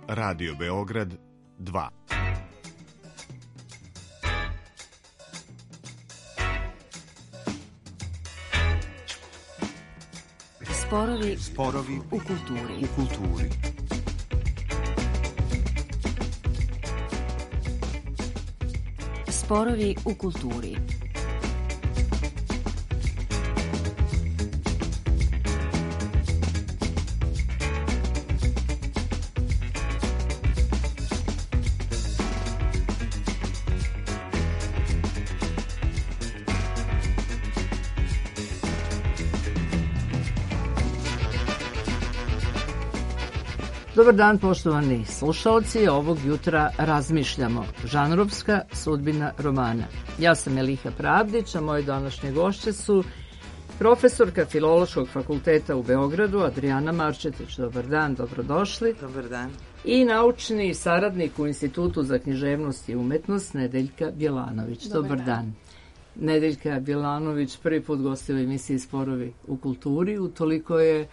Radio Beograd 2. Sporovi u kulturi. Sporovi u kulturi. Dobar dan, poštovani slušalci. Ovog jutra razmišljamo. Žanrovska sudbina romana. Ja sam Eliha Pravdić, a moje današnje gošće su profesorka Filološkog fakulteta u Beogradu, Adrijana Marčetić. Dobar dan, dobrodošli. Dobar dan. I naučni saradnik u Institutu za književnost i umetnost, Nedeljka Bjelanović. Dobar dan. Nedeljka Bjelanović prvi put gostila u emisiji Sporovi u kulturi. Utoliko je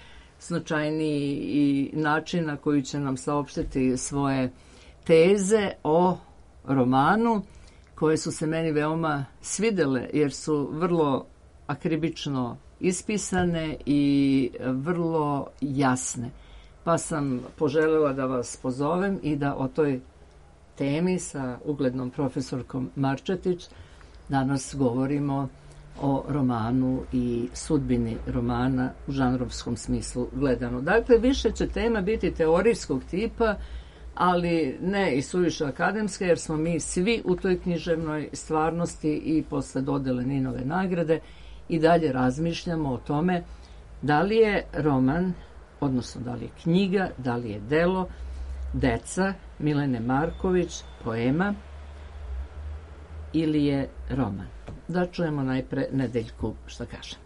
značajniji i način na koji će nam saopštiti svoje teze o romanu, koje su se meni veoma svidele jer su vrlo akribično ispisane i vrlo jasne. Pa sam poželjela da vas pozovem i da o toj temi sa uglednom profesorkom Marčetić danas govorimo o romanu i sudbini romana u žanrovskom smislu gledano. Dakle, više će tema biti teorijskog tipa, ali ne i suviše akademske, jer smo mi svi u toj književnoj stvarnosti i posle dodele Ninove nagrade i dalje razmišljamo o tome da li je roman, odnosno da li je knjiga, da li je delo Deca Milene Marković poema ili je roman. Da čujemo najpre Nedeljku šta kaže.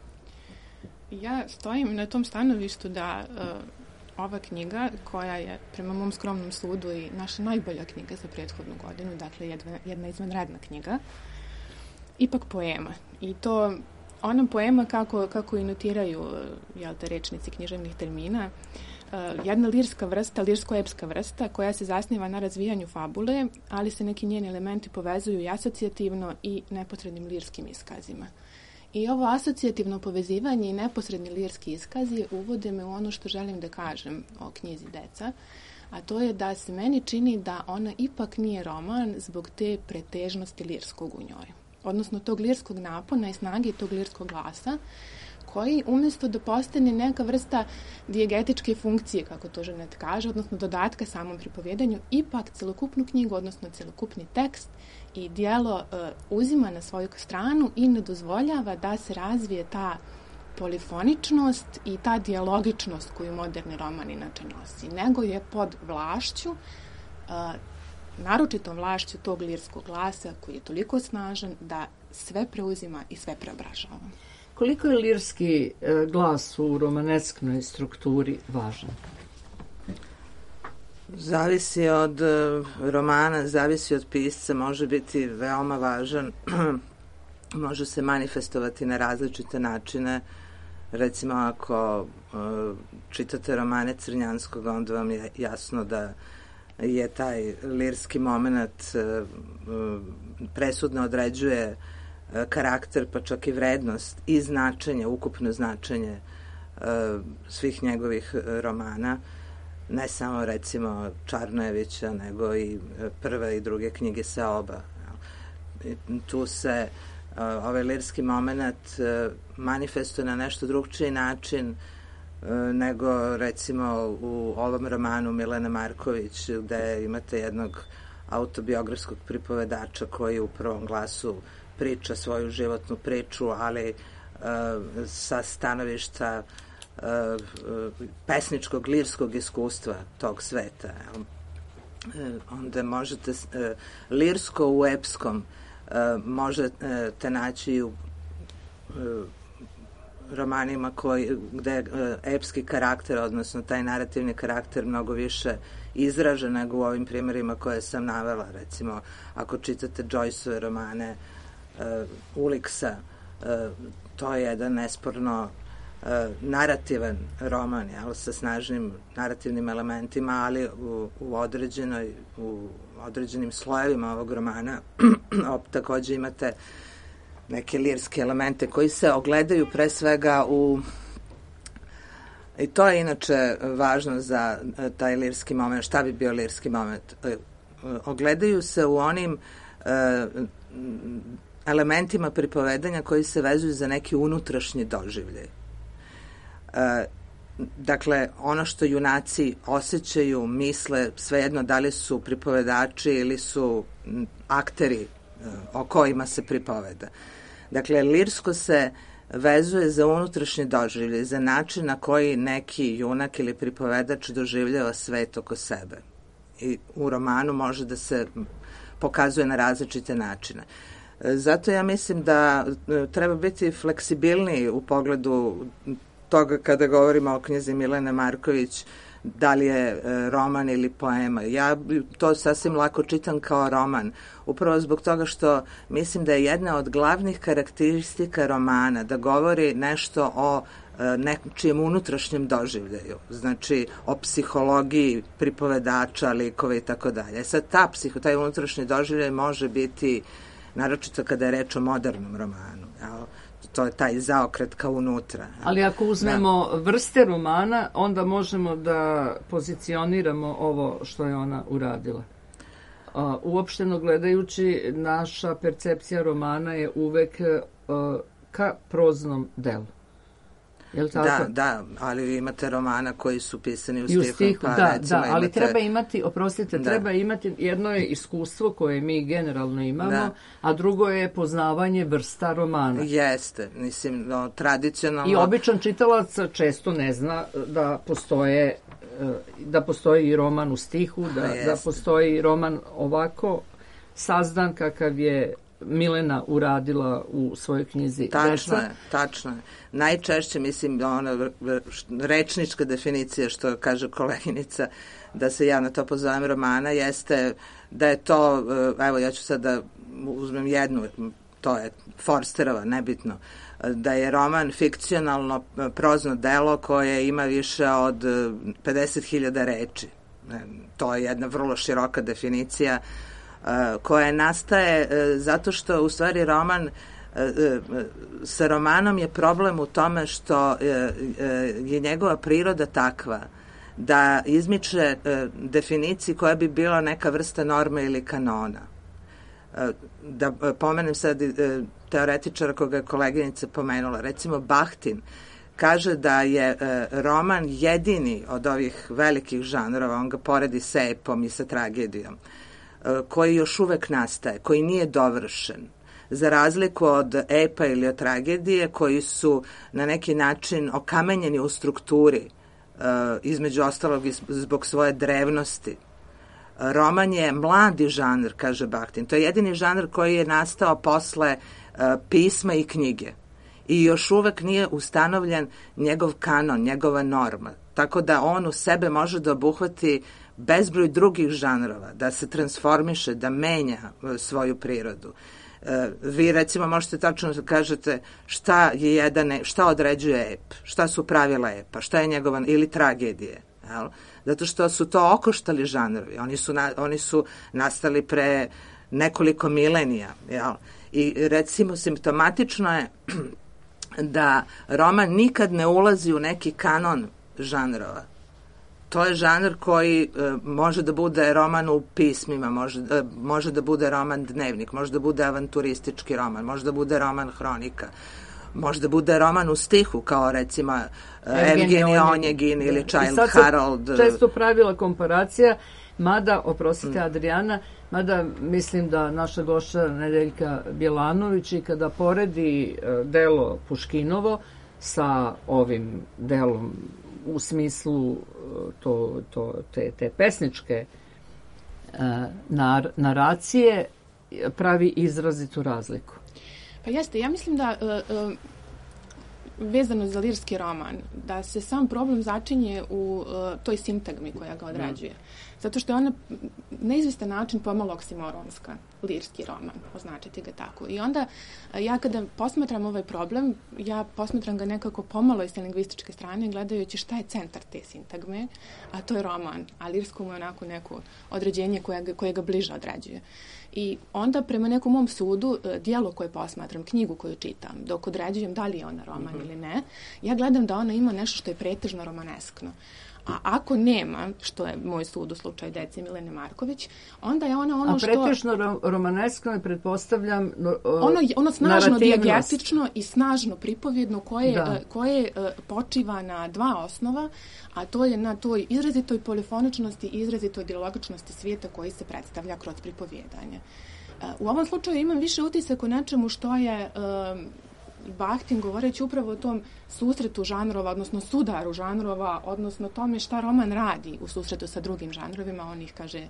Ja stojim na tom stanovištu da ova knjiga, koja je prema mom skromnom sudu i naša najbolja knjiga za prethodnu godinu, dakle jedna izvanredna knjiga, ipak poema. I to ona poema kako i notiraju rečnici književnih termina, jedna lirska vrsta, lirsko-epska vrsta koja se zasniva na razvijanju fabule, ali se neki njeni elementi povezuju i asocijativno i neposrednim lirskim iskazima. I ovo asocijativno povezivanje i neposredni lirski iskazi uvode me u ono što želim da kažem o knjizi Deca, a to je da se meni čini da ona ipak nije roman zbog te pretežnosti lirskog u njoj. Odnosno tog lirskog napona i snage tog lirskog glasa, koji umjesto da postane neka vrsta dijegetičke funkcije, kako to Ženet kaže, odnosno dodatka samom pripovjedanju, ipak celokupnu knjigu, odnosno celokupni tekst i dijelo uzima na svoju stranu i ne dozvoljava da se razvije ta polifoničnost i ta dijalogičnost koju moderni roman inače nosi, nego je pod vlašću, naročitom vlašću tog lirskog glasa koji je toliko snažan da sve preuzima i sve preobražava. Koliko je lirski glas u romanesknoj strukturi važan? Zavisi od romana, zavisi od pisca, može biti veoma važan, može se manifestovati na različite načine. Recimo, ako čitate romane Crnjanskog, onda vam je jasno da je taj lirski moment presudno određuje karakter, pa čak i vrednost i značenje, ukupno značenje svih njegovih romana, ne samo recimo Čarnojevića, nego i prve i druge knjige Seoba. Tu se ovaj lirski moment manifestuje na nešto drugčiji način nego recimo u ovom romanu Milene Marković, gde imate jednog autobiografskog pripovedača koji u prvom glasu priča svoju životnu priču, ali sa stanovišta pesničkog, lirskog iskustva tog sveta. Onda možete lirsko u epskom možete naći u romanima gde je epski karakter, odnosno taj narativni karakter mnogo više izražen nego u ovim primjerima koje sam navela. Recimo, ako čitate Joyceove romane Uliksa, to je jedan nesporno narativan roman, sa snažnim narativnim elementima, ali u određenim slojevima ovog romana takođe imate neke lirske elemente koji se ogledaju pre svega i to je inače važno za taj lirski moment. Šta bi bio lirski moment? Ogledaju se u onim elementima pripovedanja koji se vezuju za neki unutrašnji doživljaj. Dakle, ono što junaci osjećaju, misle, svejedno da li su pripovedači ili su akteri o kojima se pripoveda. Dakle, lirsko se vezuje za unutrašnji doživljaj, za način na koji neki junak ili pripovedač doživljava svet oko sebe. I u romanu može da se pokazuje na različite načine. Zato ja mislim da treba biti fleksibilniji u pogledu toga kada govorimo o knjizi Milene Marković, da li je roman ili poema. Ja to sasvim lako čitam kao roman, upravo zbog toga što mislim da je jedna od glavnih karakteristika romana da govori nešto o nečijem unutrašnjem doživljaju, znači o psihologiji pripovedača, likova i tako dalje. Sad taj unutrašnji doživljaj može biti, naročito kada je reč o modernom romanu, to je taj zaokret kao unutra. Ali ako uzmemo vrste romana, onda možemo da pozicioniramo ovo što je ona uradila. Uopšteno gledajući, naša percepcija romana je uvek ka proznom delu. Da, ali vi imate romana koji su pisani u stihu. Ali treba imati, treba imati, jedno je iskustvo koje mi generalno imamo, a drugo je poznavanje vrsta romana. Jeste, mislim, tradicionalno. I običan čitalac često ne zna da postoji i roman u stihu, da postoji roman ovako sazdan kakav je Milena uradila u svojoj knjizi. Tačno je. Najčešće, mislim, rečnička definicija, što kaže koleginica, da se ja na to pozovem romana, jeste da je to, evo ja ću sad da uzmem jednu, to je Forsterova, nebitno, da je roman fikcionalno prozno delo koje ima više od 50.000 reči. To je jedna vrlo široka definicija koja nastaje zato što u stvari sa romanom je problem u tome što je njegova priroda takva da izmiče definiciji koja bi bila neka vrsta norme ili kanona. Da pomenem sad teoretičara koga je koleginica pomenula, recimo Bahtin kaže da je roman jedini od ovih velikih žanrova, on ga poredi sa epom i sa tragedijom, koji još uvek nastaje, koji nije dovršen, za razliku od epa ili od tragedije koji su na neki način okamenjeni u strukturi, između ostalog zbog svoje drevnosti. Roman je mladi žanr, kaže Bahtin. To je jedini žanr koji je nastao posle pisma i knjige. I još uvek nije ustanovljen njegov kanon, njegova norma. Tako da on u sebe može da obuhvati bezbroj drugih žanrova, da se transformiše, da menja svoju prirodu. Vi recimo možete tačno da kažete šta određuje ep, šta su pravila epa, šta je njegova, ili tragedije, jel? Zato što su to okoštali žanrovi, oni su nastali pre nekoliko milenija, jel? I recimo simptomatično je da roman nikad ne ulazi u neki kanon žanrova. To je žanr koji može da bude roman u pismima, može da bude roman dnevnik, može da bude avanturistički roman, može da bude roman hronika, može da bude roman u stihu, kao recimo Evgenij Onjegin ili Child Harold. Sad se često pravila komparacija, mada, oprostite Adrijana, mada mislim da naša gošća Nedeljka Bjelanović i kada poredi delo Puškinovo sa ovim delom u smislu te pesničke naracije, pravi izrazitu razliku. Pa jeste, ja mislim da vezano za lirski roman, da se sam problem začinje u toj sintagmi koja ga određuje. zato što je ona na izvestan način pomalo oksimoronska, lirski roman, označiti ga tako. I onda ja kada posmatram ovaj problem, ja posmatram ga nekako pomalo iz lingvističke strane, gledajući šta je centar te sintagme, a to je roman, a lirsko mu je onako neko određenje koje ga bliže određuje. I onda prema nekom mom sudu, dijelo koje posmatram, knjigu koju čitam, dok određujem da li je ona roman ili ne, ja gledam da ona ima nešto što je pretežno romaneskno. A ako nema, što je moj sud u slučaju dece Milene Marković, onda je ona ono što... A pretežno romanesko ne pretpostavljam ono snažno dijegetično i snažno pripovjedno koje počiva na dva osnova, a to je na toj izrazitoj polifoničnosti i izrazitoj dialogičnosti svijeta koji se predstavlja kroz pripovjedanje. U ovom slučaju imam više utisak o nečemu što je... Bahtin govoreći upravo o tom susretu žanrova, odnosno sudaru žanrova, odnosno tome šta roman radi u susretu sa drugim žanrovima, on ih, kaže,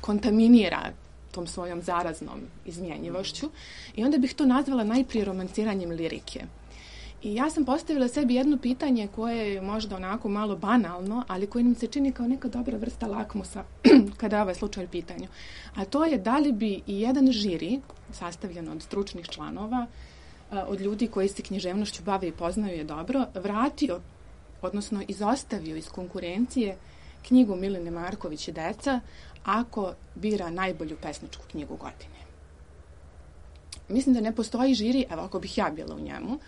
kontaminira tom svojom zaraznom izmjenjivošću. I onda bih to nazvala najprije romanciranjem lirike. I ja sam postavila sebi jedno pitanje koje je možda onako malo banalno, ali koje nam se čini kao neka dobra vrsta lakmusa kada je ovaj slučaj u pitanju. A to je da li bi i jedan žiri, sastavljen od stručnih članova, od ljudi koji se književnošću bave i poznaju je dobro, vratio, odnosno izostavio iz konkurencije knjigu Milene Marković i deca, ako bira najbolju pesničku knjigu godine. Mislim da ne postoji žiri, evo ako bih ja bila u njemu,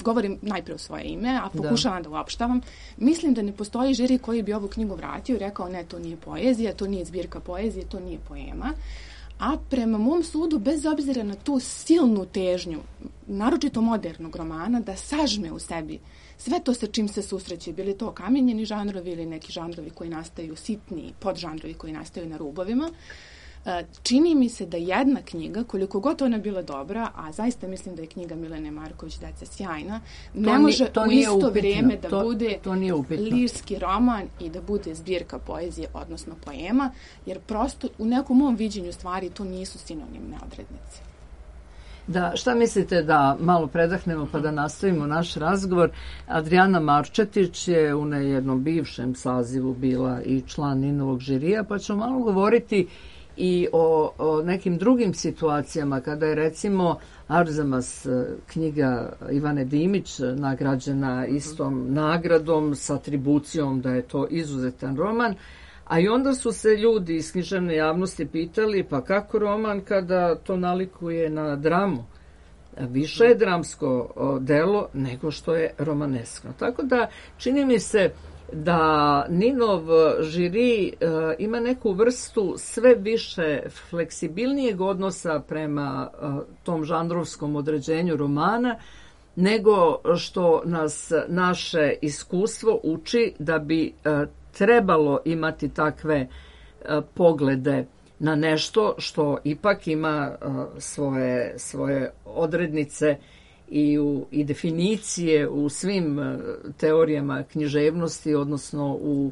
govorim najprije u svoje ime, a pokušavam da uopštavam. Mislim da ne postoji žiri koji bi ovu knjigu vratio i rekao ne, to nije poezija, to nije zbirka poezije, to nije poema. A prema mom sudu, bez obzira na tu silnu težnju, naročito modernog romana, da sažme u sebi sve to sa čim se susreće, bili to kamenjeni žanrovi ili neki žanrovi koji nastaju sitni, podžanrovi koji nastaju na rubovima, čini mi se da jedna knjiga, koliko god ona bila dobra, a zaista mislim da je knjiga Milene Marković Deca sjajna, ne može u isto vrijeme da bude lirski roman i da bude zbirka poezije, odnosno poema, jer prosto u nekom mom viđenju stvari to nisu sinonimne odrednice. Da, šta mislite da malo predahnemo pa da nastavimo naš razgovor? Adrijana Marčetić je u jednom bivšem sazivu bila i član Ninovog žirija, pa ćemo malo govoriti i o nekim drugim situacijama kada je recimo Arzamas, knjiga Ivane Dimić, nagrađena istom nagradom s atribucijom da je to izuzetan roman, a i onda su se ljudi iz književne javnosti pitali pa kako roman kada to nalikuje na dramu. Više je dramsko delo nego što je romaneskno. Tako da čini mi se da Ninov žiri ima neku vrstu sve više fleksibilnijeg odnosa prema tom žanrovskom određenju romana, nego što nas naše iskustvo uči da bi trebalo imati takve poglede na nešto što ipak ima svoje odrednice i definicije u svim teorijama književnosti, odnosno u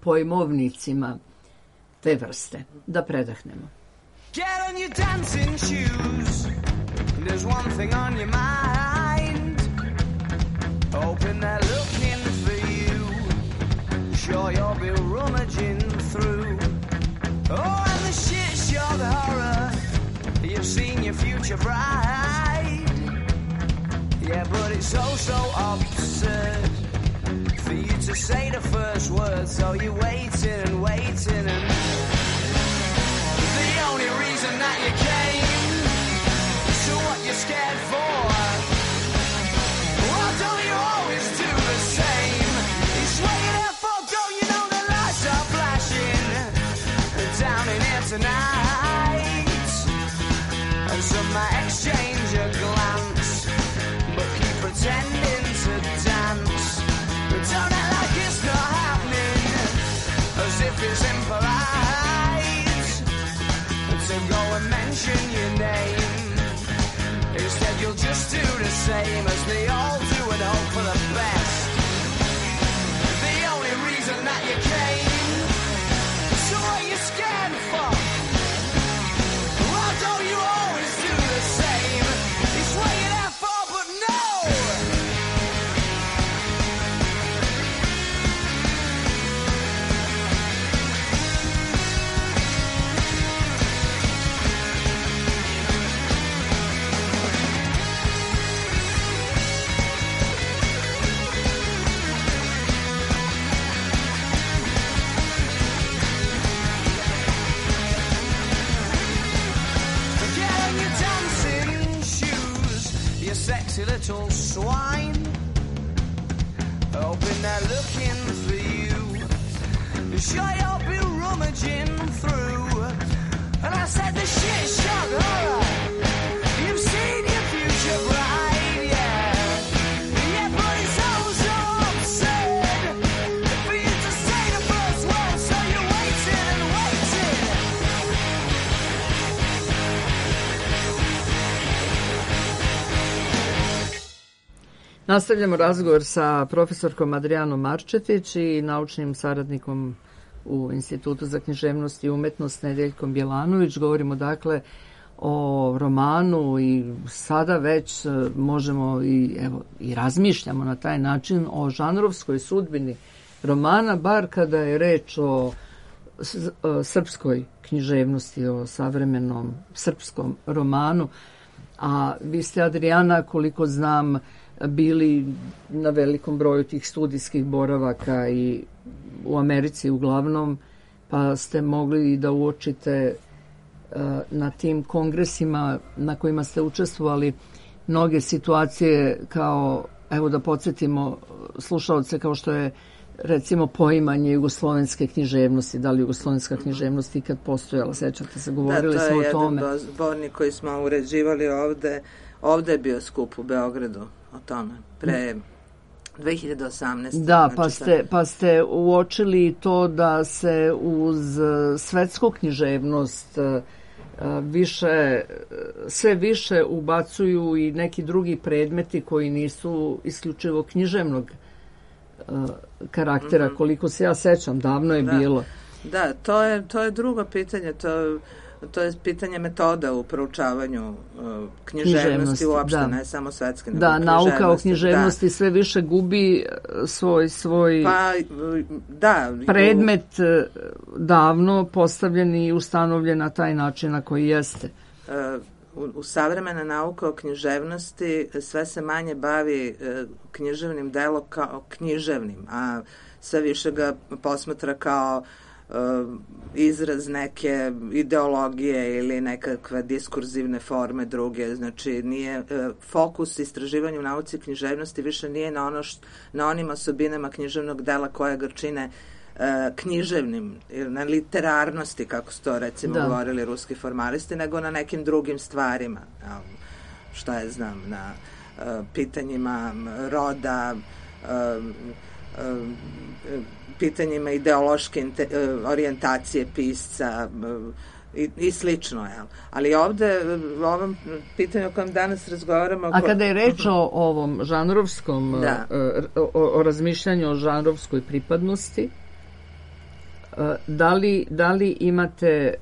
pojmovnicima te vrste. Da predahnemo. Get on your dancing shoes. There's one thing on your mind. Hoping they're looking for you. Sure you'll be rummaging through. Oh, and the shit show, the horror. You've seen your future bride. Yeah, but it's so absurd for you to say the first word. So you're waiting and waiting, and the only reason that you came, so what you're scared for? Well, don't you always do the same? It's what you're there for, don't you know the lights are flashing down in here tonight, and some might exchange a glance, but keep pretending to dance. But don't act like it's not happening, as if it's impolite to go and mention your name. Instead you'll just do the same as they all do and hope for the best. The only reason that you came, so what you scared for? Well, don't you always do the same? It's what you're there for, but no! naughty little swine, hoping they're looking for you. Sure, you'll be rummaging through. And I said, the shit shock horror. You've seen your future bright, yeah. Yeah, but it's all so absurd for you to say the first word, so you're waiting and waiting. Nastavljamo razgovor sa profesorkom Adrijanom Marčetić i naučnim saradnikom u Institutu za književnost i umetnost Nedeljkom Bjelanović. Govorimo dakle o romanu i sada već možemo i razmišljamo na taj način o žanrovskoj sudbini romana, bar kada je reč o srpskoj književnosti, o savremenom srpskom romanu. A vi ste, Adrijana, koliko znam, bili na velikom broju tih studijskih boravaka i u Americi uglavnom, pa ste mogli da uočite na tim kongresima na kojima ste učestvovali mnoge situacije kao, evo da podsjetimo slušaoce, kao što je recimo poimanje jugoslovenske književnosti, da li jugoslovenska književnost ikad postojala, sećate se, govorili smo o tome. Da, to je jedan zbornik koji smo uređivali ovde. Ovde je bio skup u Beogradu o tome, pre 2018. Da, pa ste uočili to da se uz svetsku književnost sve više ubacuju i neki drugi predmeti koji nisu isključivo književnog karaktera, koliko se ja sećam, davno je bilo. Da, to je drugo pitanje, to je pitanje metoda u proučavanju književnosti uopšte, ne samo svetske. Da, nauka o književnosti sve više gubi svoj predmet davno postavljen i ustanovljen na taj način na koji jeste. U savremena nauka o književnosti sve se manje bavi književnim delom kao književnim, a sve više ga posmatra kao izraz neke ideologije ili nekakve diskurzivne forme druge. Znači, nije fokus istraživanja u nauci književnosti više nije na onim osobinama književnog dela koje ga čine književnim, na literarnosti, kako su to recimo govorili ruski formalisti, nego na nekim drugim stvarima. Šta je znam, na pitanjima roda, pitanjima ideološke orijentacije pisca i slično. Jel? Ali ovde, u ovom pitanju o kojem danas razgovaramo... A kada je reč o ovom žanrovskom, o razmišljanju o žanrovskoj pripadnosti, da li imate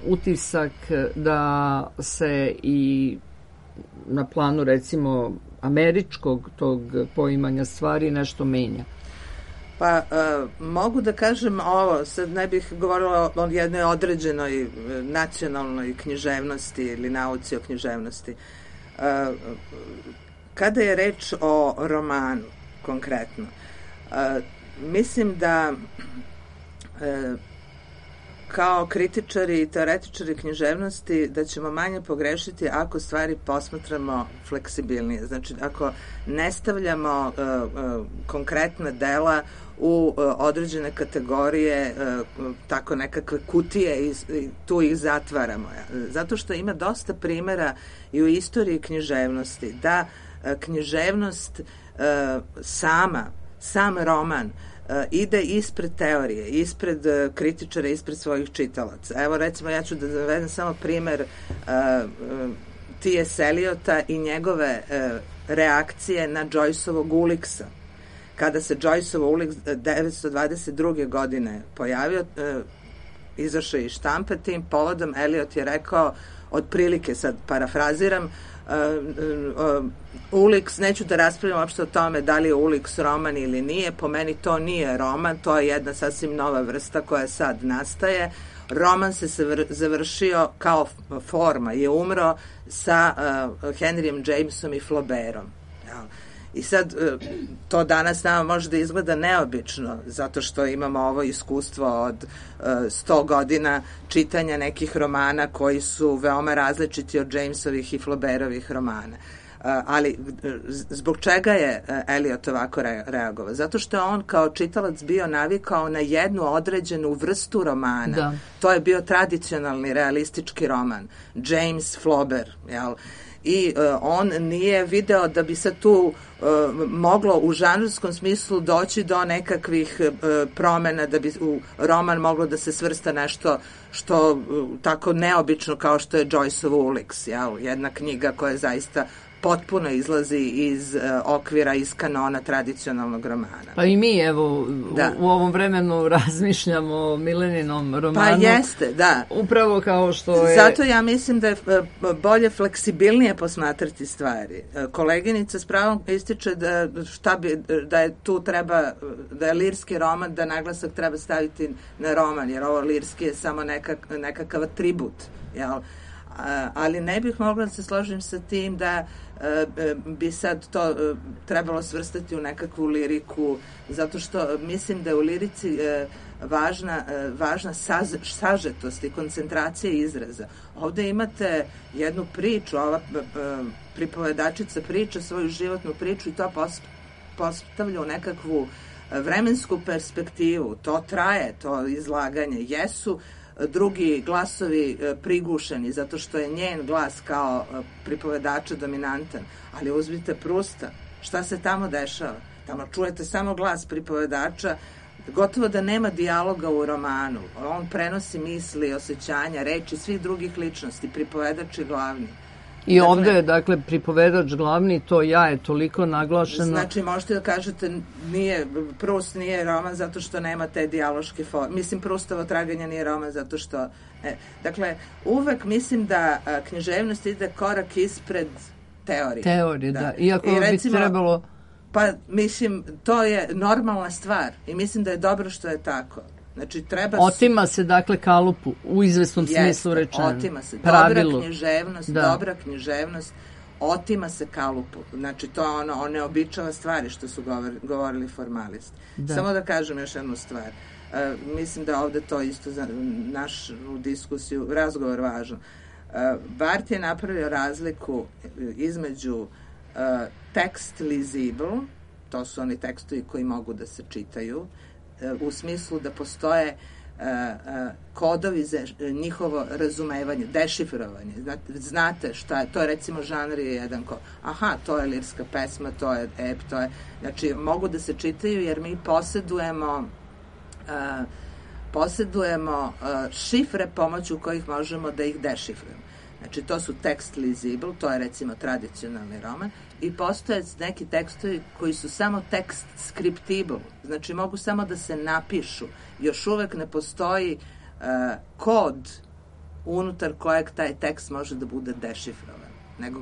utisak da se i na planu recimo američkog tog poimanja stvari nešto menja? Pa mogu da kažem ovo, sad ne bih govorila o jednoj određenoj nacionalnoj književnosti ili nauci o književnosti. Kada je reč o romanu konkretno, mislim da kao kritičari i teoretičari književnosti da ćemo manje pogrešiti ako stvari posmatramo fleksibilnije. Znači, ako ne stavljamo konkretna dela u određene kategorije, tako nekakve kutije i tu ih zatvaramo. Zato što ima dosta primjera i u istoriji književnosti da književnost sam roman ide ispred teorije, ispred kritičara, ispred svojih čitalaca. Evo recimo ja ću da navedem samo primer T.S. Eliota i njegove reakcije na Joyceovog Uliksa. Kada se Joyceov Uliks 1922. godine pojavio, izašao iz štampe, tim povodom Eliot je rekao, otprilike sad parafraziram, Uliks, neću da raspravljam uopšte o tome da li je Uliks roman ili nije, po meni to nije roman, to je jedna sasvim nova vrsta koja sad nastaje. Roman se završio kao forma, je umro sa Henryjem Jamesom i Flaubertom. I sad, to danas nama može da izgleda neobično, zato što imamo ovo iskustvo od 100 godina čitanja nekih romana koji su veoma različiti od Jamesovih i Flaubertovih romana. Ali zbog čega je Eliot ovako reagovao? Zato što je on kao čitalac bio navikao na jednu određenu vrstu romana. Da. To je bio tradicionalni realistički roman. James Flaubert, jel? I on nije video da bi se tu moglo u žanrovskom smislu doći do nekakvih promena, da bi u roman moglo da se svrsta nešto što tako neobično kao što je Joyceov Ulix, jel? Jedna knjiga koja zaista potpuno izlazi iz okvira, iz kanona tradicionalnog romana. Pa i mi, evo, u ovom vremenu razmišljamo o Mileninom romanu. Pa jeste, da. Upravo kao što je... Zato ja mislim da je bolje fleksibilnije posmatrati stvari. Koleginica s pravom ističe da je tu treba, da je lirski roman, da naglasak treba staviti na roman, jer ovo lirski je samo nekakav atribut, jel? Ali ne bih mogla da se složim sa tim da bi sad to trebalo svrstati u nekakvu liriku, zato što mislim da je u lirici važna sažetost i koncentracija izraza. Ovde imate jednu priču, ova pripovedačica priča svoju životnu priču i to postavlja u nekakvu vremensku perspektivu. To traje, to izlaganje. Jesu drugi glasovi prigušeni, zato što je njen glas kao pripovedača dominantan. Ali uzmite Prusta, šta se tamo dešava? Tamo čujete samo glas pripovedača, gotovo da nema dijaloga u romanu. On prenosi misli, osjećanja, reči svih drugih ličnosti, pripovedač je glavni. I ovde je, dakle, pripovedač glavni, to ja je toliko naglašeno. Znači, možete da kažete, Proust nije roman zato što nema te dijaloške forme. Mislim, Proustovo traganje nije roman zato što... Dakle, uvek mislim da književnost ide korak ispred teorije. Teorije, da. Iako bi trebalo... Pa, mislim, to je normalna stvar i mislim da je dobro što je tako. Znači, otima se, dakle, kalupu, u izvesnom smislu rečeno. Otima se. Pravilu. Dobra književnost, otima se kalupu. Znači, to je ono neobičava stvari što su govorili formalisti. Da. Samo da kažem još jednu stvar. Mislim da ovde to isto za našu diskusiju, razgovor važan. Barth je napravio razliku između tekst lisible, to su oni tekstovi koji mogu da se čitaju, u smislu da postoje kodovi za njihovo razumevanje, dešifrovanje. Znate šta je, to je recimo žanr je jedan aha, to je lirska pesma, to je ep, to je, znači mogu da se čitaju jer mi posedujemo šifre pomoću kojih možemo da ih dešifrujemo. Znači, to su tekst lisible, to je recimo tradicionalni roman, i postoje neki tekstovi koji su samo tekst scriptible, znači mogu samo da se napišu. Još uvek ne postoji kod unutar kojeg taj tekst može da bude dešifrovan, nego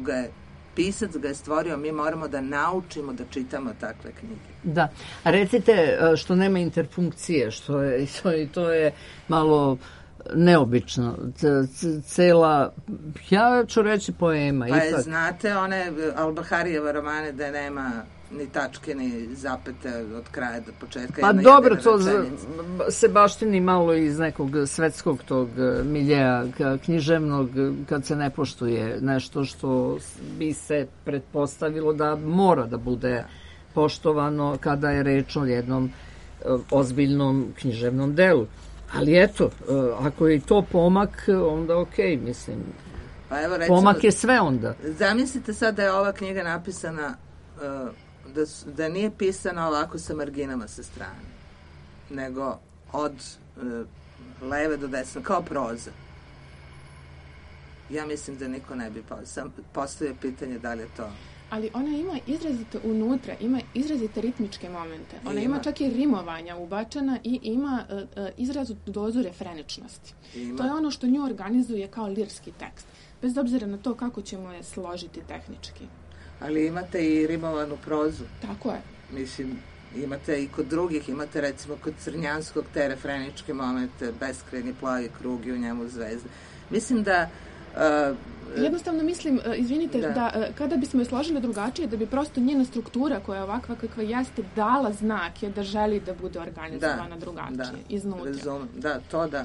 pisac ga je stvorio, mi moramo da naučimo da čitamo takve knjige. Da, a recite što nema interfunkcije, to je malo... neobično. Cela, ja ću reći poema. Pa je, znate, one Al-Baharijeva romane da nema ni tačke, ni zapete od kraja do početka. Pa dobro, to se baštini malo iz nekog svetskog tog miljeja književnog, kad se ne poštuje nešto što bi se pretpostavilo da mora da bude poštovano kada je reč o jednom ozbiljnom književnom delu. Ali eto, ako je to pomak, onda okej, mislim. Pa evo, recimo, pomak je sve onda. Zamislite sad da je ova knjiga napisana, da nije pisana ovako sa marginama sa strane, nego od leve do desne, kao proza. Ja mislim da niko ne bi postavio pitanje da li je to... Ali ona ima izrazito unutra, ima izrazite ritmičke momente. Ona ima čak i rimovanja ubačena i ima izrazitu dozu refreničnosti. To je ono što nju organizuje kao lirski tekst. Bez obzira na to kako ćemo je složiti tehnički. Ali imate i rimovanu prozu. Tako je. Mislim, imate i kod drugih, imate recimo kod Crnjanskog te refreničke momente, beskrajni plavi krug i u njemu zvezde. Mislim da... Jednostavno mislim, izvinite, da kada bismo je složili drugačije, da bi prosto njena struktura koja je ovakva kakva jeste dala znake da želi da bude organizovana drugačije, iznutra. To da.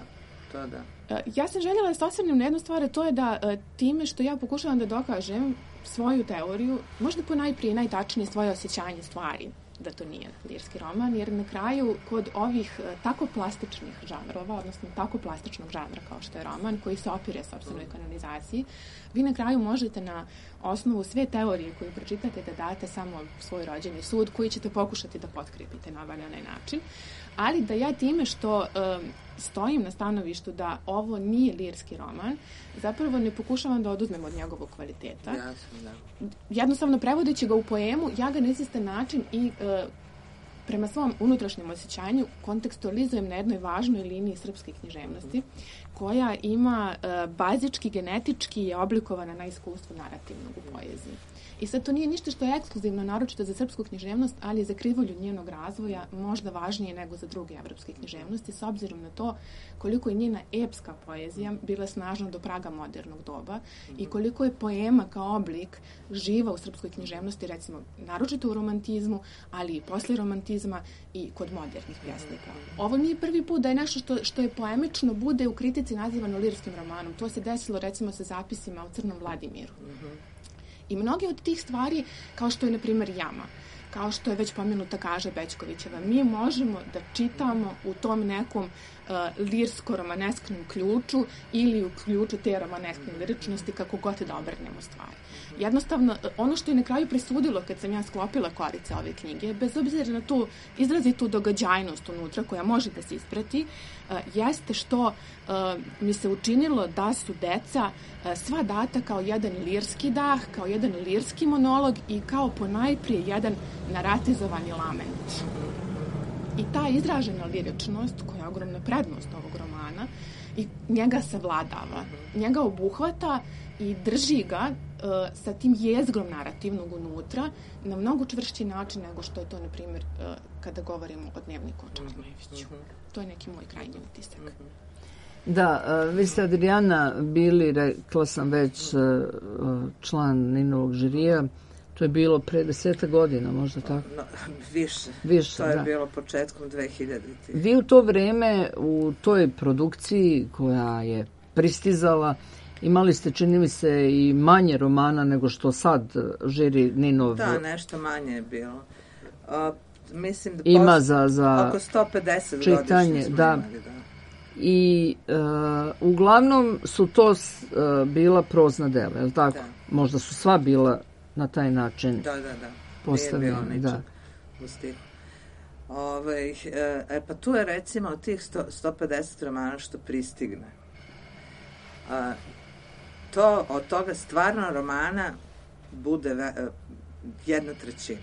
Ja sam željela da se osvrnem na jednu stvar, to je da time što ja pokušavam da dokažem svoju teoriju, možda ponajprije najtačnije svoje osjećanje stvari da to nije lirski roman, jer na kraju kod ovih tako plastičnih žanrova, odnosno tako plastičnog žanra kao što je roman, koji se opire sopstvenoj kanonizaciji, vi na kraju možete na osnovu sve teorije koju pročitate da date samo svoj rođeni sud koji ćete pokušati da potkrijepite na ovaj onaj način, ali da ja time što stojim na stanovištu da ovo nije lirski roman, zapravo ne pokušavam da oduzmem od njegovog kvaliteta. Jasno, da. Jednostavno, prevodeći ga u poemu, ja ga na izvestan način i prema svom unutrašnjem osjećanju kontekstualizujem na jednoj važnoj liniji srpske književnosti, koja ima bazički, genetički je oblikovana na iskustvu narativnog u poeziji. I sad to nije ništa što je ekskluzivno, naročito za srpsku književnost, ali je za krivulju njenog razvoja možda važnije nego za druge evropske književnosti, s obzirom na to koliko je njena epska poezija bila snažna do praga modernog doba i koliko je poema kao oblik živa u srpskoj književnosti, recimo naročito u romantizmu, ali i posle romantizma i kod modernih pjesnika. Ovo nije prvi put da je nešto što je poemično bude u kritici nazivano lirskim romanom. To se desilo recimo sa zapisima o Crnom Vladimiru. I mnoge od tih stvari, kao što je, na primjer, Jama, kao što je već pomenuta Kaža Bećkovićeva, mi možemo da čitamo u tom nekom lirsko-romanesknom ključu ili u ključu te romaneskne liričnosti, kako god da obrnemo stvari. Jednostavno, ono što je na kraju presudilo kad sam ja sklopila korice ove knjige, bez obzira na tu izrazitu događajnost unutra koja može da se isprati, jeste što mi se učinilo da su deca sva data kao jedan lirski dah, kao jedan lirski monolog i kao ponajprije jedan naratizovani lament. I ta izražena liričnost, koja je ogromna prednost ovog romana, i njega savladava, njega obuhvata i drži ga sa tim jezgrom narativnog unutra na mnogo čvršći način nego što je to, na primjer, kada govorimo o Dnevniku o Čarnojeviću. To je neki moj krajnji utisak. Da, vi ste, Adriana, bili, rekla sam već, član Ninovog žirija. To je bilo pre 10 godina, možda tako? No, više. To je bilo početkom 2000. Vi u to vreme, u toj produkciji koja je pristizala, imali ste, čini mi se, i manje romana nego što sad žiri Ninov. Da, nešto manje je bilo. Mislim da ima za oko 150 čitanje, godišnje smo da. imali, da. I uglavnom su to bila prozna dela, je li tako? Da. Možda su sva bila na taj način postavljena. Nije bilo ničeg u stihu. Pa tu je recimo od tih 150 romana što pristigne. Od toga stvarno romana bude 1/3.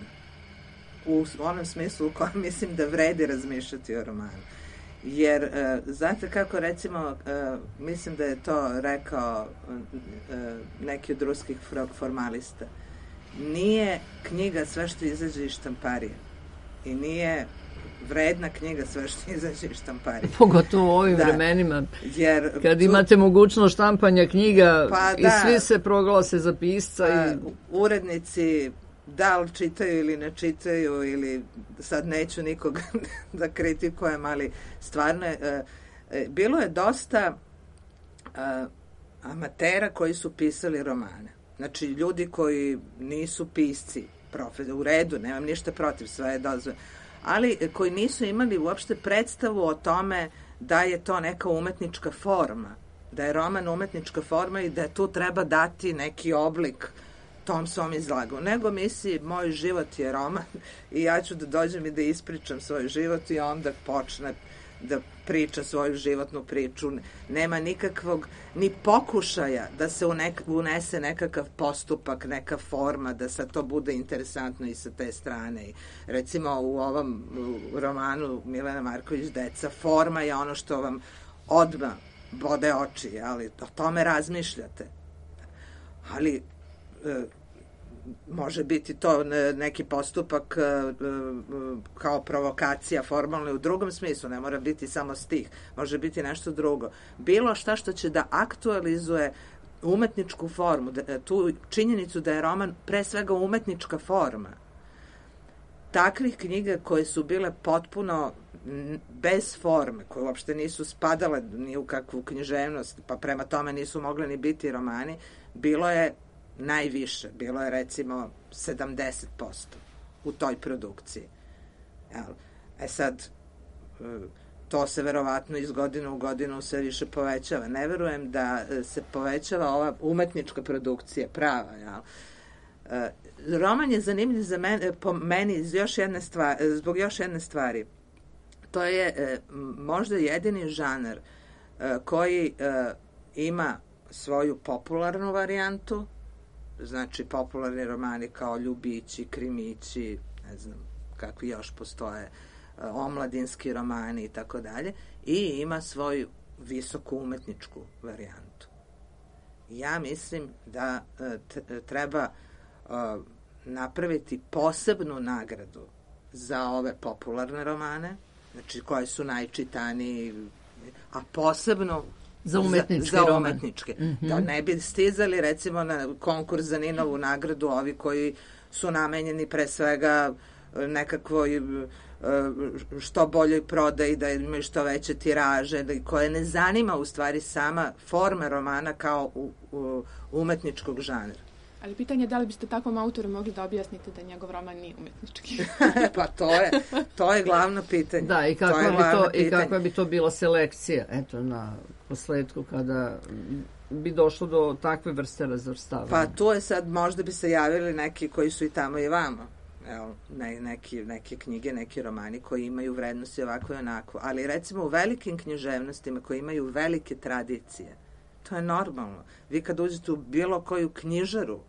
U onom smislu u kojem mislim da vredi razmišljati o romanu. Jer, znate kako, recimo, mislim da je to rekao neki od ruskih formalista, nije knjiga sve što izađe iz štamparije i nije vredna knjiga sve što izađe iz štamparije. Pogotovo u ovim vremenima, kad imate mogućnost štampanja knjiga i svi se proglase za pisca. Urednici da li čitaju ili ne čitaju, ili sad neću nikog da kritikujem, ali stvarno bilo je dosta amatera koji su pisali romane. Znači, ljudi koji nisu pisci, u redu, nemam ništa protiv, sve je dozvoljeno, ali koji nisu imali uopšte predstavu o tome da je to neka umetnička forma, da je roman umetnička forma i da tu treba dati neki oblik tom svom izlagu. Nego misli, moj život je roman i ja ću da dođem i da ispričam svoj život i onda počne da priča svoju životnu priču. Nema nikakvog ni pokušaja da se unese nekakav postupak, neka forma, da sad to bude interesantno i sa te strane. Recimo u ovom romanu Milena Marković Deca, forma je ono što vam odmah bode oči, ali o tome razmišljate. Ali može biti to neki postupak kao provokacija formalno u drugom smislu, ne mora biti samo stih, može biti nešto drugo. Bilo šta što će da aktualizuje umetničku formu, tu činjenicu da je roman pre svega umetnička forma. Takvih knjiga koje su bile potpuno bez forme, koje uopšte nisu spadale ni u kakvu književnost, pa prema tome nisu mogli ni biti romani, bilo je najviše, bilo je recimo 70% u toj produkciji. Sad, to se verovatno iz godine u godinu sve više povećava. Ne verujem da se povećava ova umetnička produkcija, prava, jel? Roman je zanimljiv za mene, po meni zbog još jedne stvari. To je možda jedini žanr koji ima svoju popularnu varijantu, znači popularni romani kao Ljubići, Krimići, ne znam kakvi još postoje, omladinski romani i tako dalje, i ima svoju visoku umetničku varijantu. Ja mislim da treba napraviti posebnu nagradu za ove popularne romane, znači koje su najčitaniji, a posebno za umetničke. Mm-hmm. Da ne bi stizali recimo na konkurs za Ninovu nagradu ovi koji su namenjeni pre svega nekakvoj što boljoj prodaji, da imaju što veće tiraže, koje ne zanima u stvari sama forma romana kao umetničkog žanra. Ali pitanje je da li biste takvom autoru mogli da objasnite da njegov roman nije umetnički? Pa to je glavno pitanje. Da, i kakva bi to bila selekcija, eto, na posledku kada bi došlo do takve vrste razvrstavanja. Pa to je sad, možda bi se javili neki koji su i tamo i vamo. Evo, neke knjige, neki romani koji imaju vrednosti ovako i onako. Ali recimo u velikim književnostima koji imaju velike tradicije, to je normalno. Vi kad uđete u bilo koju knjižaru,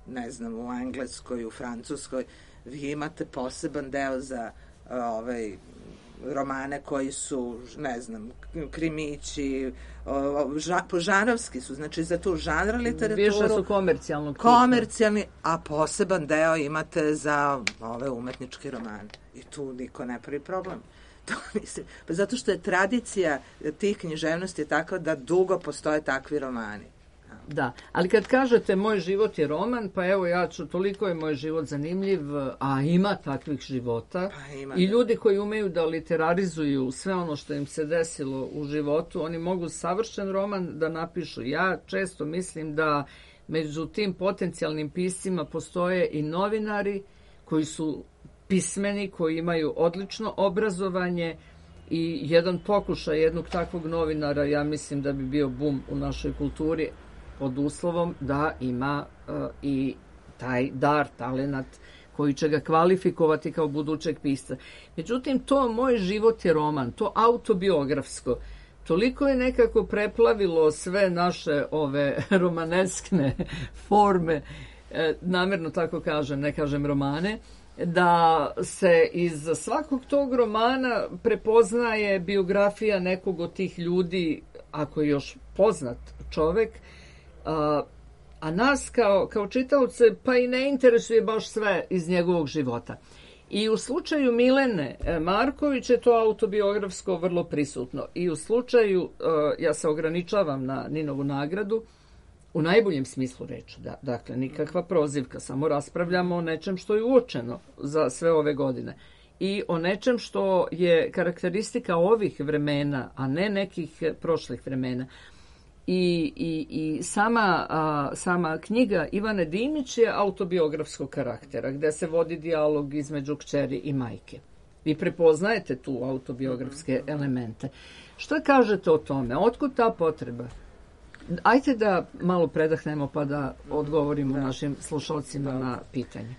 ne znam, u Engleskoj, u Francuskoj, vi imate poseban deo za romane koji su, ne znam, Krimići, žanrovski su, znači za tu žanra literaturu. Više su komercijalnog tipa. Komercijalni, a poseban deo imate za ove umetničke romane. I tu niko ne pravi problem. To mislim, pa zato što je tradicija tih književnosti takva da dugo postoje takvi romani. Da, ali kad kažete moj život je roman, pa evo toliko je moj život zanimljiv, a ima takvih života. Pa ima, i ljudi koji umeju da literarizuju sve ono što im se desilo u životu, oni mogu savršen roman da napišu. Ja često mislim da među tim potencijalnim piscima postoje i novinari koji su pismeni, koji imaju odlično obrazovanje, i jedan pokušaj jednog takvog novinara, ja mislim da bi bio bum u našoj kulturi, pod uslovom da ima i taj dar, talenat koji će ga kvalifikovati kao budućeg pisca. Međutim, to moj život je roman, to autobiografsko, toliko je nekako preplavilo sve naše ove romaneskne forme, namjerno tako kažem, ne kažem romane, da se iz svakog tog romana prepoznaje biografija nekog od tih ljudi, ako je još poznat čovek, a nas kao čitaoce pa i ne interesuje baš sve iz njegovog života. I u slučaju Milene Marković je to autobiografsko vrlo prisutno. I u slučaju, ja se ograničavam na Ninovu nagradu, u najboljem smislu reči, dakle nikakva prozivka, samo raspravljamo o nečem što je uočeno za sve ove godine. I o nečem što je karakteristika ovih vremena, a ne nekih prošlih vremena. I sama knjiga Ivane Dimić je autobiografskog karaktera, gde se vodi dijalog između kćeri i majke. Vi prepoznajete tu autobiografske elemente. Šta kažete o tome? Otkud ta potreba? Ajde da malo predahnemo pa da odgovorimo našim slušalcima na pitanje.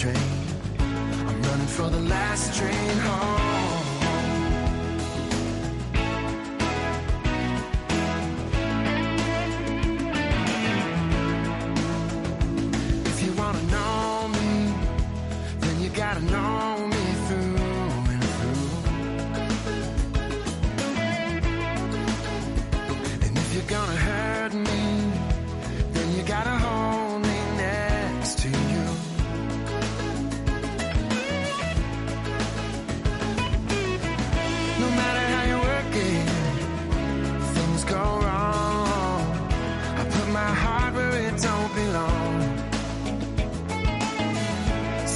train. I'm running for the last train home. If you wanna know me, then you gotta know me through and through. And if you're gonna hurt me, then you gotta hold me next to you. No matter how you work it, things go wrong. I put my heart where it don't belong.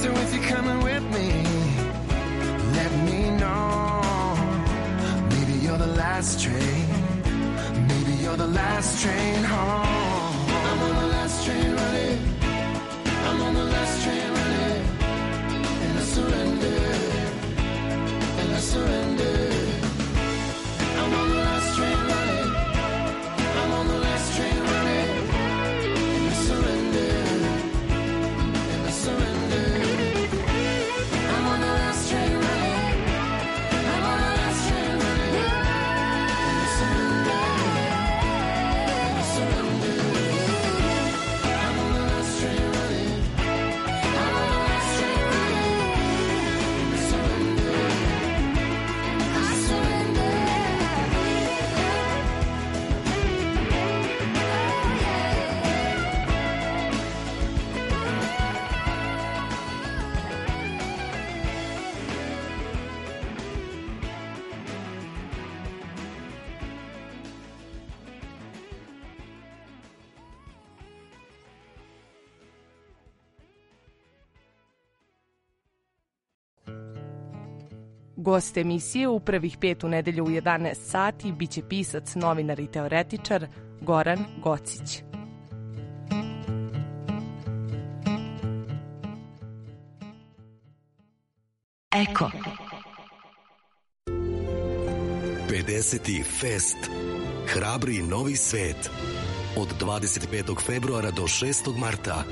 So if you're coming with me, let me know. Maybe you're the last train. Maybe you're the last train home. I'm on the last train running. I'm on the last train running. And I surrender. And I surrender. I'm on the last train running. I'm on the last train running. And I surrender. And I surrender. I'm on the last train running. I'm on the last train running. And I surrender. And I surrender. I'm on the last train running. I'm on the last train running. And I surrender. I surrender. Gost emisije u prvih 5 u nedelju u 11 sati biće pisac, novinar i teoretičar Goran Gocić. Eko. 50. fest. Hrabri novi svet. Od 25. februara do 6. marta.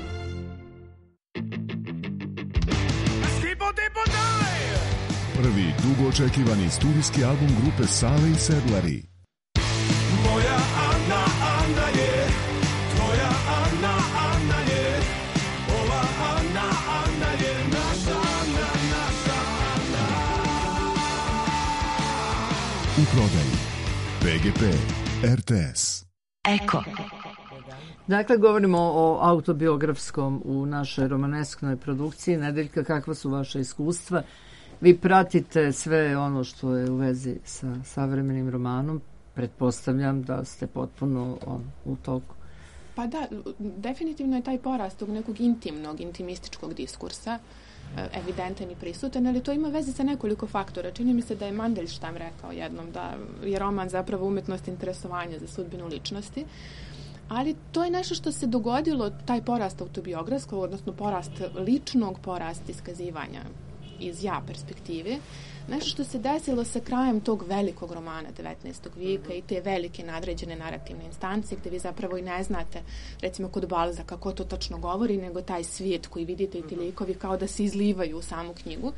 Prvi dugo očekivani studijski album grupe Sale i Sedlari. Moja Ana, Ana je, tvoja Ana, Ana je, ova Ana, Ana je, naša Ana, naša Ana. U prodaji PGP RTS. Eko. Dakle, govorimo o autobiografskom u našoj romanesknoj produkciji. Nedeljka, kakva su vaše iskustva? Vi pratite sve ono što je u vezi sa savremenim romanom. Pretpostavljam da ste potpuno u toku. Pa da, definitivno je taj porast tog nekog intimnog, intimističkog diskursa evidentan i prisutan, ali to ima veze sa nekoliko faktora. Čini mi se da je Mandelstam rekao jednom da je roman zapravo umetnost interesovanja za sudbinu ličnosti, ali to je nešto što se dogodilo, taj porast autobiografskog, odnosno porast ličnog, porast iskazivanja iz ja perspektive, nešto što se desilo sa krajem tog velikog romana 19. vijeka i te velike nadređene narativne instancije gde vi zapravo i ne znate, recimo kod Balzaka, ko to tačno govori, nego taj svijet koji vidite i ti likovi kao da se izlivaju u samu knjigu.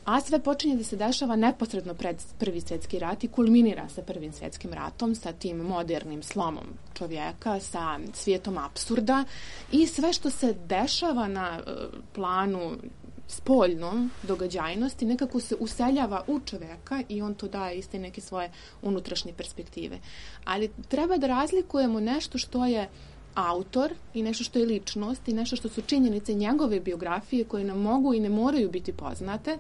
A sve počinje da se dešava neposredno pred Prvi svjetski rat i kulminira sa Prvim svjetskim ratom, sa tim modernim slomom čovjeka, sa svijetom apsurda i sve što se dešava na planu spoljnom događajnosti nekako se useljava u čovjeka i on to daje iste neke svoje unutrašnje perspektive. Ali treba da razlikujemo nešto što je autor i nešto što je ličnost i nešto što su činjenice njegove biografije koje nam mogu i ne moraju biti poznate,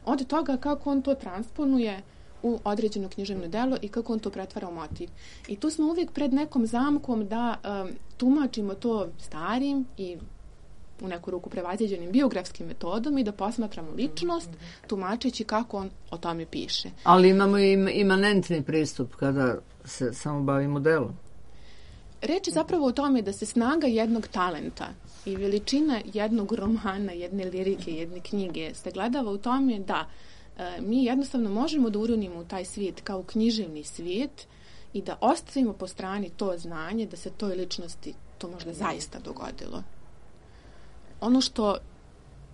od toga kako on to transponuje u određeno književno delo i kako on to pretvara u motiv. I tu smo uvijek pred nekom zamkom da tumačimo to starim i u neku ruku prevaziđenim biografskim metodom i da posmatramo ličnost tumačeći kako on o tome piše. Ali imamo i imanentni pristup kada se samo bavimo delom. Reč je zapravo o tome da se snaga jednog talenta i veličina jednog romana, jedne lirike, jedne knjige se gledava u tome da mi jednostavno možemo da uronimo u taj svijet kao književni svijet i da ostavimo po strani to znanje da se toj ličnosti to možda zaista dogodilo. Ono što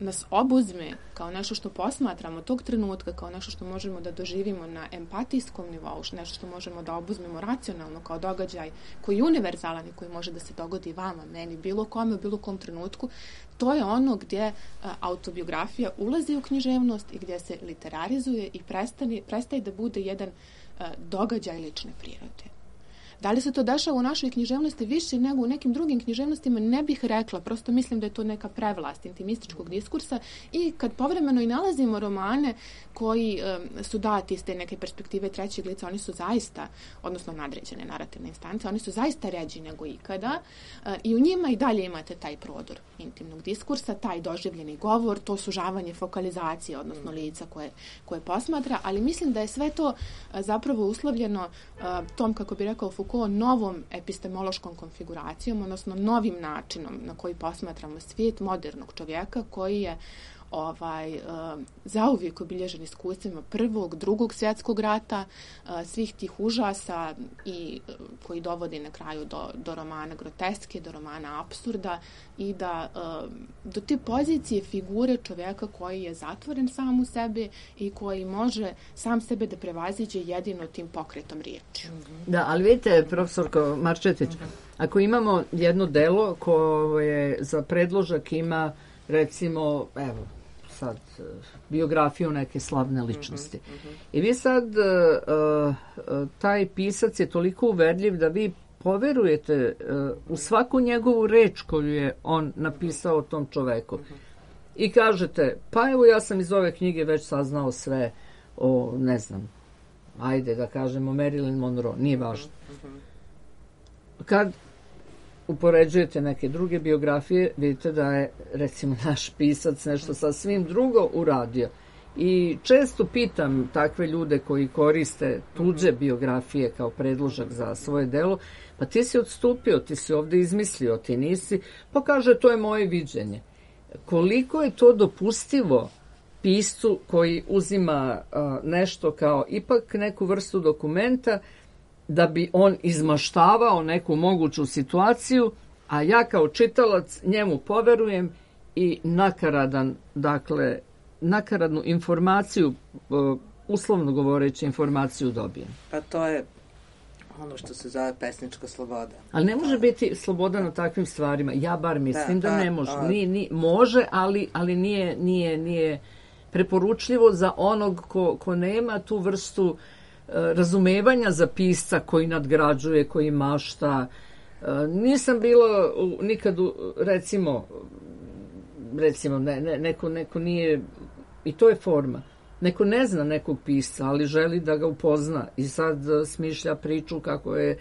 nas obuzme kao nešto što posmatramo tog trenutka, kao nešto što možemo da doživimo na empatijskom nivou, nešto što možemo da obuzmemo racionalno kao događaj koji je univerzalan i koji može da se dogodi vama, meni, bilo kome, u bilo kom trenutku, to je ono gdje autobiografija ulazi u književnost i gdje se literarizuje i prestaje da bude jedan događaj lične prirode. Da li se to dešava u našoj književnosti više nego u nekim drugim književnostima, ne bih rekla, prosto mislim da je to neka prevlast intimističkog diskursa i kad povremeno i nalazimo romane koji su dati iz te neke perspektive trećeg lica, oni su zaista, odnosno nadređene narativne instance, oni su zaista ređi nego ikada i u njima i dalje imate taj prodor intimnog diskursa, taj doživljeni govor, to sužavanje fokalizacije, odnosno lica koje posmatra, ali mislim da je sve to zapravo uslovljeno tom, kako bi rekao Foucault, novom epistemološkom konfiguracijom, odnosno novim načinom na koji posmatramo svijet modernog čovjeka koji je zauvijek obilježen iskustvima Prvog, Drugog svjetskog rata, svih tih užasa i koji dovodi na kraju do romana groteske, do romana apsurda i do te pozicije figure čovjeka koji je zatvoren sam u sebi i koji može sam sebe da prevaziđe jedino tim pokretom riječi. Da, ali vidite, profesorko Marčetić, ako imamo jedno delo koje za predložak ima, recimo, evo, sad, biografiju neke slavne ličnosti. I vi sad, taj pisac je toliko uverljiv da vi poverujete u svaku njegovu reč koju je on napisao o tom čoveku. I kažete, pa evo ja sam iz ove knjige već saznao sve o, ne znam, ajde da kažemo Marilyn Monroe, nije važno. Kad upoređujete neke druge biografije, vidite da je, recimo, naš pisac nešto sasvim drugo uradio. I često pitam takve ljude koji koriste tuđe biografije kao predložak za svoje delo, pa ti si odstupio, ti si ovdje izmislio, ti nisi, pa kaže to je moje viđenje. Koliko je to dopustivo piscu koji uzima nešto kao ipak neku vrstu dokumenta da bi on izmaštavao neku moguću situaciju, a ja kao čitalac njemu poverujem i nakaradnu informaciju, uslovno govoreći informaciju dobijem. Pa to je ono što se zove pesnička sloboda. Ali ne može biti sloboda na takvim stvarima. Ja bar mislim da ne može. Može, ali nije preporučljivo za onog ko nema tu vrstu razumevanja za pisca koji nadgrađuje, koji mašta. Nisam bila nikad, recimo neko nije, i to je forma, neko ne zna nekog pisca, ali želi da ga upozna i sad smišlja priču kako je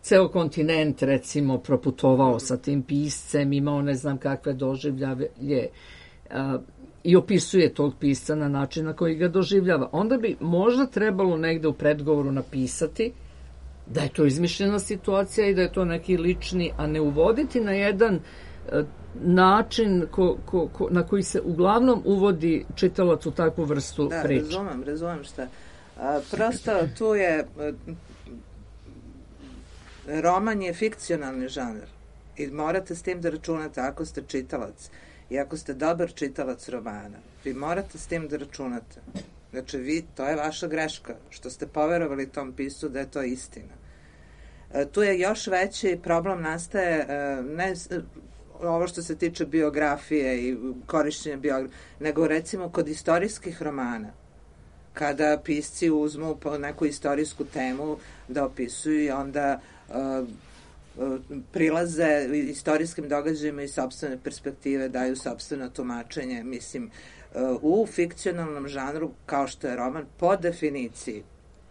ceo kontinent, recimo, proputovao sa tim piscem, imao ne znam kakve doživljaje i opisuje tog pisca na način na koji ga doživljava. Onda bi možda trebalo negde u predgovoru napisati da je to izmišljena situacija i da je to neki lični, a ne uvoditi na jedan način na koji se uglavnom uvodi čitalac u takvu vrstu priče. Da, razumem šta. Prosto tu je roman je fikcionalni žanr i morate s tim da računate ako ste čitalac i ako ste dobar čitalac romana. Vi morate s tim da računate. Znači, to je vaša greška, što ste poverovali tom piscu da je to istina. Tu je još veći problem nastaje, ne ovo što se tiče biografije i korišćenja biografije, nego recimo kod istorijskih romana, kada pisci uzmu po neku istorijsku temu da opisuju i onda prilaze istorijskim događajima iz sopstvene perspektive, daju sopstveno tumačenje. Mislim, u fikcionalnom žanru, kao što je roman, po definiciji,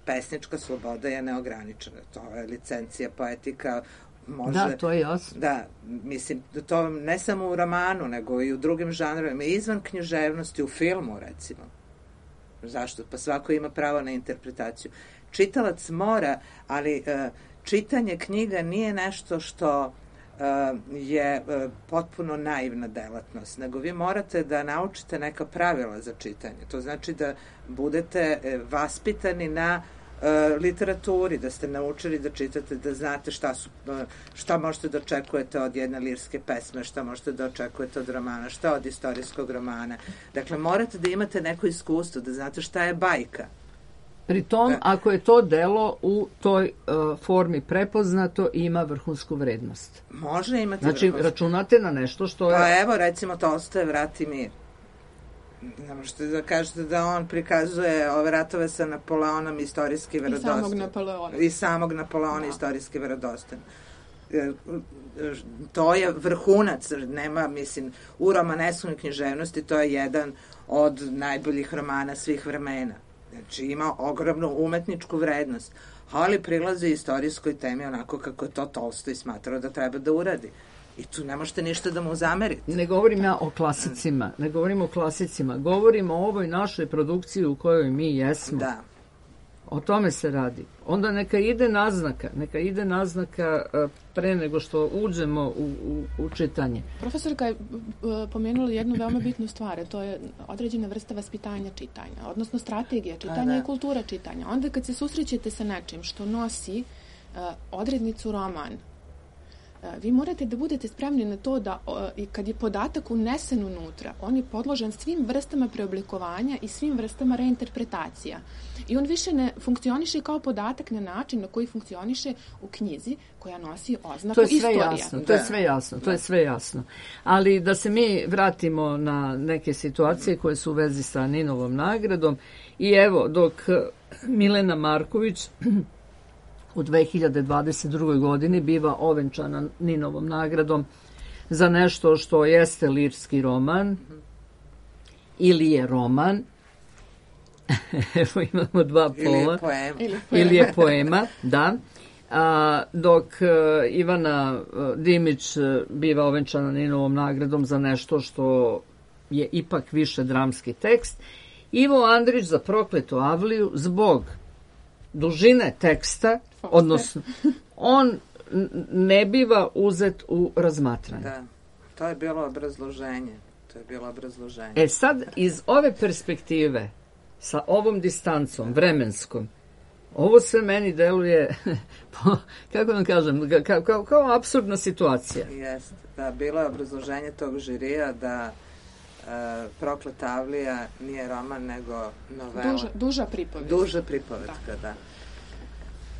pesnička sloboda je neograničena. To je licencija, poetika, može... Da, to je jasno. Da, mislim, to ne samo u romanu, nego i u drugim žanrovima, izvan književnosti, u filmu, recimo. Zašto? Pa svako ima pravo na interpretaciju. Čitalac mora, ali čitanje knjiga nije nešto što je potpuno naivna delatnost, nego vi morate da naučite neka pravila za čitanje. To znači da budete vaspitani na literaturi, da ste naučili da čitate, da znate šta možete da očekujete od jedne lirske pesme, šta možete da očekujete od romana, šta od istorijskog romana. Dakle, morate da imate neko iskustvo, da znate šta je bajka. Pri tom, ako je to delo u toj formi prepoznato, ima vrhunsku vrednost. Može imati znači, vrhunsku. računate na nešto što je... Pa evo, recimo, Tolstoje Vrat i mir. Ne možete da kažete da on prikazuje ove ratove sa Napoleonom istorijski verodostojno. I samog Napoleona istorijski verodostojno. To je vrhunac, nema, mislim, u romaneskoj književnosti to je jedan od najboljih romana svih vremena. Znači, ima ogromnu umetničku vrednost, ali prilazi istorijskoj temi onako kako je to Tolstoj smatrao da treba da uradi. I tu ne možete ništa da mu zamerite. Ne govorim ja o klasicima, govorim o ovoj našoj produkciji u kojoj mi jesmo. Da. O tome se radi. Onda neka ide naznaka pre nego što uđemo u čitanje. Profesorka je pomenula jednu veoma bitnu stvar, to je određena vrsta vaspitanja čitanja, odnosno strategija čitanja i kultura čitanja. Onda kad se susrećete sa nečim što nosi odrednicu roman, vi morate da budete spremni na to da kad je podatak unesen unutra, on je podložen svim vrstama preoblikovanja i svim vrstama reinterpretacija. I on više ne funkcioniše kao podatak na način na koji funkcioniše u knjizi koja nosi oznaku istorija. To je sve jasno. Ali da se mi vratimo na neke situacije koje su u vezi sa Ninovom nagradom i evo dok Milena Marković u 2022. godini biva ovenčana Ninovom nagradom za nešto što jeste lirski roman ili je roman. Evo imamo dva pola. Ili je poema, da. Dok Ivana Dimić biva ovenčana Ninovom nagradom za nešto što je ipak više dramski tekst. Ivo Andrić za Prokletu Avliju zbog dužine teksta, odnosno on ne biva uzet u razmatranje. Da, to je bilo obrazloženje. Sad, iz ove perspektive, sa ovom distancom vremenskom, ovo sve meni deluje, kako vam kažem, kao apsurdna situacija. Jeste, da, bilo je obrazloženje tog žirija da Prokleta Avlija nije roman, nego novela. Duža pripovetka. Duža pripovetka, da.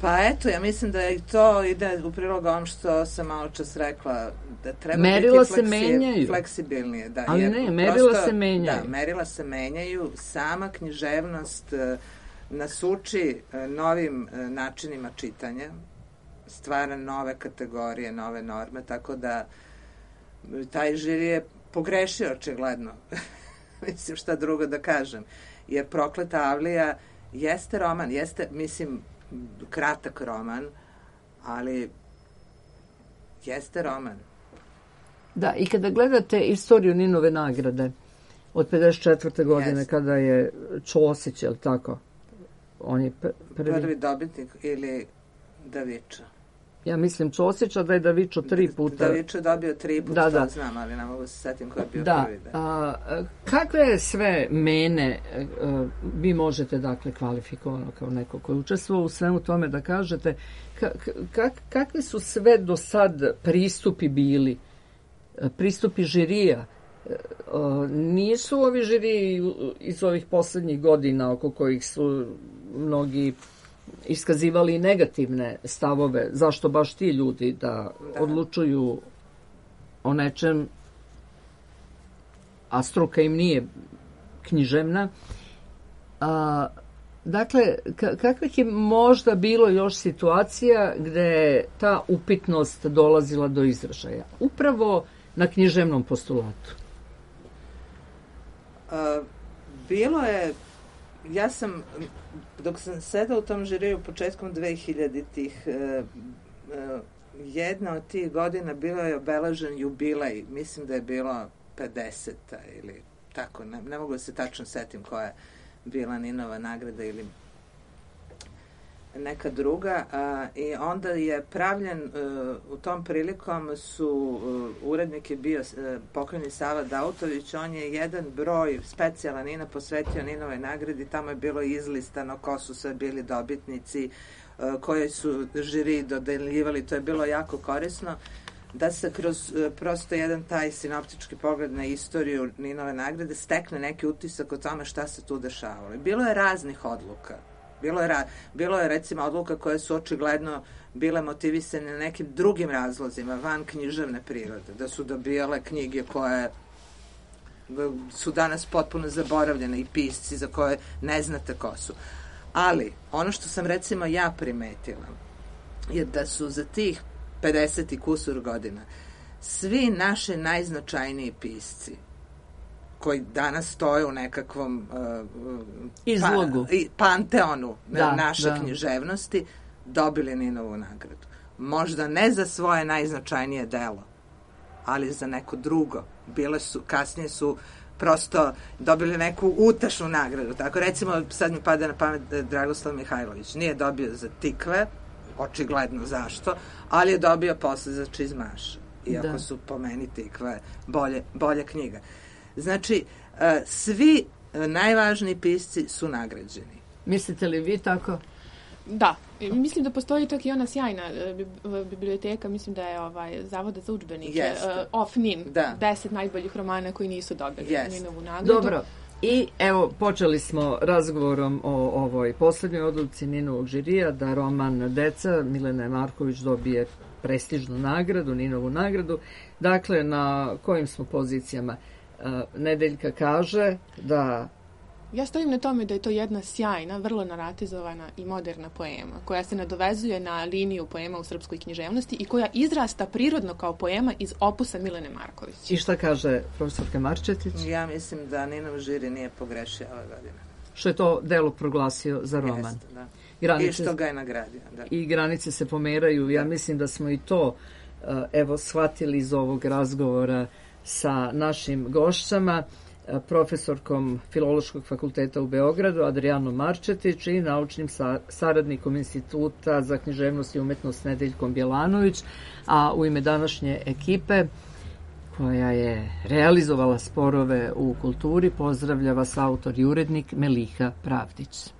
Pa eto, ja mislim da i to ide u prilog ovom što sam malo čas rekla, da treba biti fleksibilnije. Da, ali ne, merila se menjaju. Da, merila se menjaju, sama književnost nas uči novim načinima čitanja, stvara nove kategorije, nove norme, tako da taj žiri je pogrešio očigledno. Mislim, šta drugo da kažem. Jer Prokleta Avlija jeste roman, jeste, mislim, kratak roman, ali jeste roman. Da, i kada gledate istoriju Ninove nagrade od 54. godine, kada je Ćosić, je li tako? On je prvi dobitnik ili Davičo? Ja mislim Ćosića, da je Davičo 3 puta. Davičo je dobio 3 puta, to znam, ali ne mogu se setim ko je bio prvi. Kakve sve mene vi možete, dakle, kvalifikovano kao neko koji učestvovao u svemu tome da kažete kakvi su sve do sad pristupi bili, pristupi žirija? Nisu ovi žiriji iz ovih poslednjih godina oko kojih su mnogi iskazivali negativne stavove, zašto baš ti ljudi da odlučuju o nečem, a struka im nije književna. Dakle, kakvih je možda bilo još situacija gde je ta upitnost dolazila do izražaja? Upravo na književnom postulatu. Bilo je, ja sam, dok sam sedala u tom žiriju početkom 2000-ih, jedna od tih godina bilo je obeležen jubilej, mislim da je bilo 50-a ili tako, ne mogu da se tačno setim koja je bila Ninova nagrada ili... neka druga i onda je pravljen u tom prilikom su urednik je bio pokojni Sava Dautović, on je jedan broj specijalan Nina posvetio Ninove nagradi, tamo je bilo izlistano ko su sve bili dobitnici, koje su žiri dodeljivali, to je bilo jako korisno da se kroz prosto jedan taj sinoptički pogled na istoriju Ninove nagrade stekne neki utisak o tome šta se tu dešavalo. Bilo je raznih odluka. Bilo je recimo odluka koje su očigledno bile motivisane nekim drugim razlozima van književne prirode, da su dobijale knjige koje su danas potpuno zaboravljene i pisci za koje ne znate ko su. Ali ono što sam recimo ja primetila je da su za tih 50 i kusur godina svi naši najznačajniji pisci koji danas stoje u nekakvom izlogu, panteonu naše književnosti, dobili Ninovu nagradu. Možda ne za svoje najznačajnije delo, ali za neko drugo. Kasnije su prosto dobili neku utašnu nagradu. Tako recimo, sad mi pada na pamet Dragoslav Mihajlović. Nije dobio za Tikve, očigledno zašto, ali je dobio posle za Čizmaša. Iako su po meni Tikve bolja knjiga. Znači, svi najvažniji pisci su nagrađeni. Mislite li vi tako? Da. Mislim da postoji čak i ona sjajna biblioteka, mislim da je Zavoda za udžbenike, Of Nin, 10 najboljih romana koji nisu dobili Ninovu nagradu. Dobro. I evo, počeli smo razgovorom o ovoj poslednjoj odluci Ninovog žirija, da roman Deca Milene Marković dobije prestižnu nagradu, Ninovu nagradu. Dakle, na kojim smo pozicijama? Nedeljka kaže da... Ja stojim na tome da je to jedna sjajna, vrlo naratizovana i moderna poema, koja se nadovezuje na liniju poema u srpskoj književnosti i koja izrasta prirodno kao poema iz opusa Milene Marković. I šta kaže profesorka Marčetić? Ja mislim da Ninov žiri nije pogrešio ove godine. Što je to delo proglasio za roman. Jeste, da. I što ga je nagradio. Da. I granice se pomeraju. Ja mislim da smo i to shvatili iz ovog razgovora sa našim gošćama, profesorkom Filološkog fakulteta u Beogradu Adrijanom Marčetić i naučnim saradnikom Instituta za književnost i umetnost Nedeljkom Bjelanović, a u ime današnje ekipe koja je realizovala Sporove u kulturi pozdravlja vas autor i urednik Meliha Pravdić.